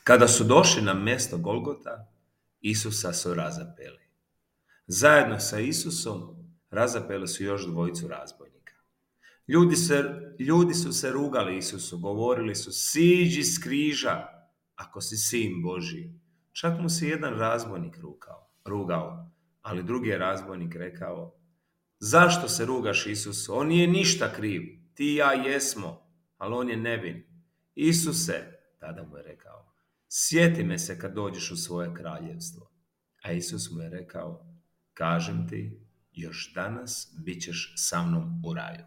Kada su došli na mjesto Golgota, Isusa su razapeli. Zajedno sa Isusom razapeli su još dvojicu razbojnika. Ljudi su se rugali Isusu, govorili su: siđi s križa, ako si sin Božji. Čak mu se jedan razbojnik rugao, ali drugi je razbojnik rekao: zašto se rugaš Isusu? On nije ništa kriv, ti i ja jesmo, ali on je nevin. Isuse, tada mu je rekao, sjeti me se kad dođeš u svoje kraljevstvo. A Isus mu je rekao: kažem ti, još danas bit ćeš sa mnom u raju.